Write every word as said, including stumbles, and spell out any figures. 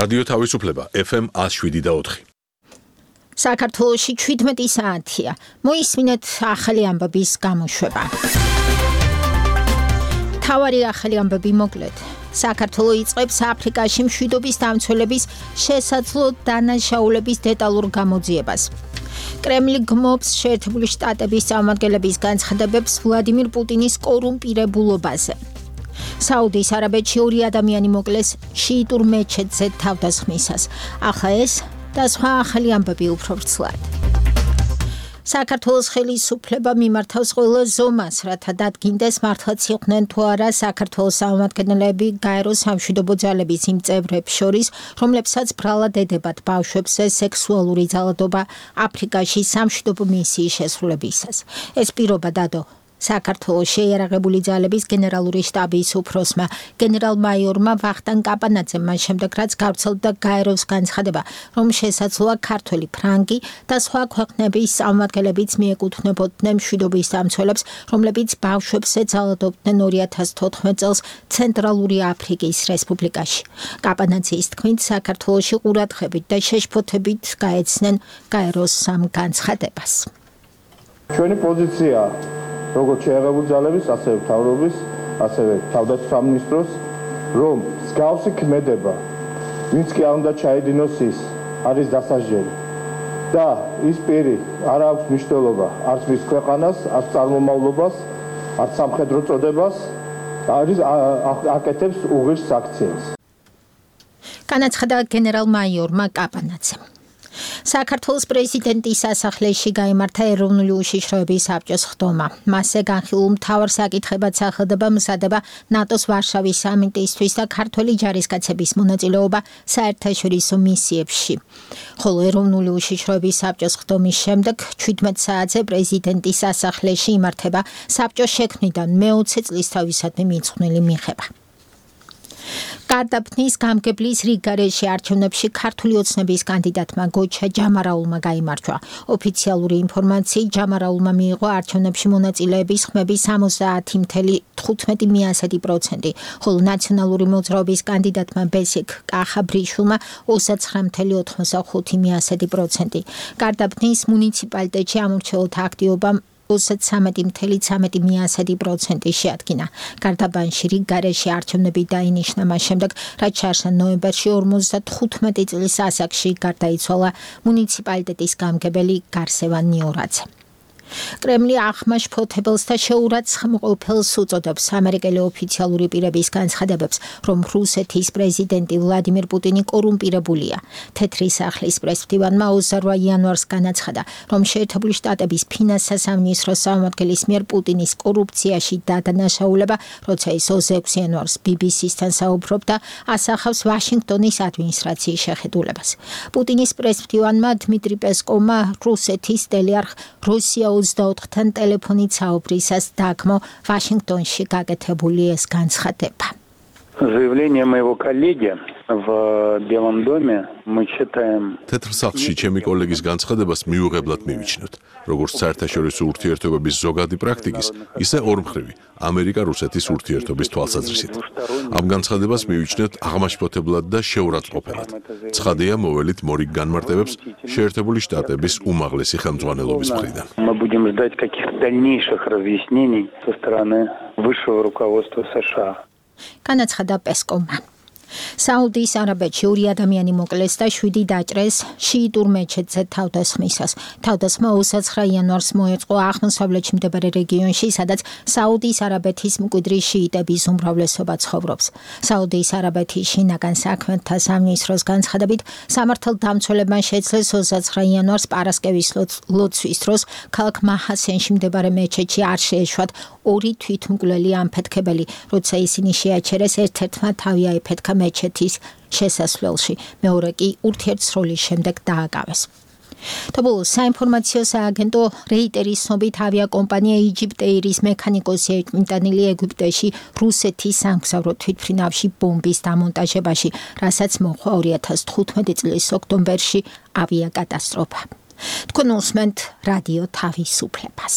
რადიო თავისუფლება ეფ ემ ათს შვიდი და ოთხი. საქართველოში ჩვიდმეტი საათია. მოისმინეთ ახალი ამბების გამოშვება. თავარი ახალი ამბები მოკლედ. საქართველო იწყებს აფრიკაში მშვიდობის დამცველების შესაძლო დანაშაულების დეტალურ გამოძიებას. კრემლი გმობს შეერთებული შტატების წარმომადგენლების განცხადებებს ვლადიმირ პუტინის კორუმპირებულობაზე. საუდის არაბეთში ორი ადამიანი მოკლეს შიიტურ მეჩეთზე თავდასხმისას. ახლა ეს და სხვა ახალი ამბები უფრო ვრცლად. საქართველოს ხელისუფლება მიმართავს ყველა ზომას, რათა დადგინდეს მართლაც იყვნენ თუ არა საქართველოს წარმომადგენლები გაეროს სამშვიდობო ძალების იმ წევრებს შორის, რომლებსაც ბრალად ედებათ ბავშვებზე სექსუალური ძალადობა აფრიკაში სამშვიდობო მისიის შესრულებისას. ეს პირობა დადო საქართველოს შეიარაღებული ძალების გენერალური შტაბის უფროსმა გენერალ-მაიორმა ვახტანგ კაპანაძემ მას შემდეგ რაც გავრცელდა გაეროს განცხადება, რომ შესაძლოა ქართველი, ფრანგი და სხვა ქვეყნების წარმომადგენლებიც მიეკუთვნებოდნენ მშვიდობის დამცველებს, რომლებიც ბავშვებზე ძალადობდნენ ორი ათას თოთხმეტ წელს ცენტრალური აფრიკის რესპუბლიკაში. კაპანაძის თქმით, საქართველოში ყურადღებით და შეშფოთებით გაეცნენ გაეროს ამ განცხადებას. ჩვენი პოზიცია როგორც შეიარაღებული ძალების, ასევე მთავრობის, ასევე თავდაცვის სამინისტროს, რომ მსგავსი ქმედება, ვინც კი არ უნდა ჩაედინოს ის, არის დასაჯელი. და ის პირი არ აქვს მნიშვნელობა არც მის ქვეყანას, არც წარმომავლობას, არც სამხედრო წოდებას, არის აკეთებს უღირს აქციას. განაცხადა გენერალ-მაიორმა კაპანაძემ. საქართველოს პრეზიდენტის სასახლეში გაიმართა ეროვნული უშიშროების საბჭოს ხდომა. მასზე განხილულ მთავარ საკითხებად სახელდება მზადება ნატოს ვარშავის სამიტისთვის და ქართველი ჯარისკაცების მონაწილეობა საერთაშორისო მისიებში. ხოლო ეროვნული უშიშროების საბჭოს ხდომის შემდეგ ჩვიდმეტ საათზე პრეზიდენტის სასახლეში იმართება საბჭოს შექმნიდან მეოცე წლისთავისადმი მიძღვნილი მიღება. გარდაბნის გამგებლის რიგგარეშე არჩევნებში ქართული ოცნების კანდიდატმა გოჩა ჯამარაულმა გაიმარჯვა. ოფიციალური ინფორმაციით ჯამარაულმა მიიღო არჩევნებში მონაწილეების ხმების სამოცდაათი ფاصლე თხუთმეტი პროცენტი, ხოლო ნაციონალური მოძრაობის კანდიდატმა ბესიკ კახაბრიშვილმა ოცდაცხრა ფاصლე ოთხმოცდახუთი პროცენტი. გარდაბნის მუნიციპალიტეტში ამორჩეულთა აქტივობამ ოცდაცამეტი ფاصლე ცამეტი პროცენტი შეადგინა. გარდაბანში რიგგარეშე არჩევნები დაინიშნა მას შემდეგ, რაც ჩაარსა ნოემბერში ორმოცდათხუთმეტი წლის ასაკში გარდაიცვალა მუნიციპალიტეტის გამგებელი გარსევან ნიორაძე. კრემლი ახმაშფოთებელს და შეურაცხმყოფელს უწოდებს ამერიკელი ოფიციალური პირების განცხადებებს, რომ რუსეთის პრეზიდენტი ვლადიმირ პუტინი კორუმპირებულია. თეთრი სახლის პრესმდივანმა ოცდარვა იანვარს განაცხადა, რომ შეერთებული შტატების ფინანსთა სამინისტროს წარმომადგენლის მიერ პუტინის კორუფციაში დადანაშაულება, როცა ის ოცდაექვსი იანვარს ბი ბი სისთან საუბრობდა, ასახავს ვაშინგტონის ადმინისტრაციის შეხედულებას. პუტინის პრესმდივანმა დმიტრი პესკოვმა რუსეთის ტელეარხ რუსია ოცდაოთხთან ტელეფონით საუბრისას დაგმო ვაშინგტონში გაკეთებული ეს განცხადება. Заявление моего коллеги в Белом доме мы считаем. თეთრ სახლში ჩემი კოლეგის განცხადებას მიუღებლად მივიჩნევთ, როგორც საერთაშორისო ურთიერთობების ზოგადი პრაქტიკის, ისე ორმხრივი ამერიკა-რუსეთის ურთიერთობის თვალსაზრისით. ამ განცხადებას მივიჩნევთ აღმაშფოთებლად და შეურაცხმყოფელად. ცხადია, მოველით მორიგ განმარტებებს შეერთებული შტატების უმაღლესი ხელმძღვანელობის მხრიდან. Мы будем ждать каких-то дальнейших разъяснений со стороны высшего руководства США. განაცხადა პესკოვმა. საუდის არაბეთში ორი ადამიანი მოკლეს და შვიდი დაჭრეს შიიტურ მეჩეთზე თავდასხმისას. თავდასხმა ოცდაცხრა იანვარს მოეწყო აღმოსავლეთში მდებარე რეგიონში, სადაც საუდის არაბეთის მკვიდრი შიიტების უმრავლესობა ცხოვრობს. საუდის არაბეთის შინაგან საქმეთა სამინისტროს განცხადებით, სამართალდამცველებმა შეძლეს ოცდაცხრა იანვარს პარასკევის ლოცვის დროს ქალაქ მაჰასენში მდებარე მეჩეთში არ შეეშვათ ორი თვითმკვლელი ამფეთქებელი, როცა ისინი შეაჩერეს ერთ-ერთმა თავი აიფეთქა მეჩეთის შესასვლელში, მეორე კი ურთიერთსროლის შემდეგ დააკავეს. თბილისის საინფორმაციო სააგენტო რეიტერის ცნობით ავიაკომპანია იჯიპტეირის მექანიკოსი ეკმიტანილი ეგვიპტეში რუსეთის სამგზავრო თვითმფრინავში ბომბის დამონტაჟებაში, რასაც მოჰყვა ორი ათას თხუთმეტი წლის ოქტომბერში ავიაკატასტროფა. თქვენ უსმენთ რადიო თავისუფლებას.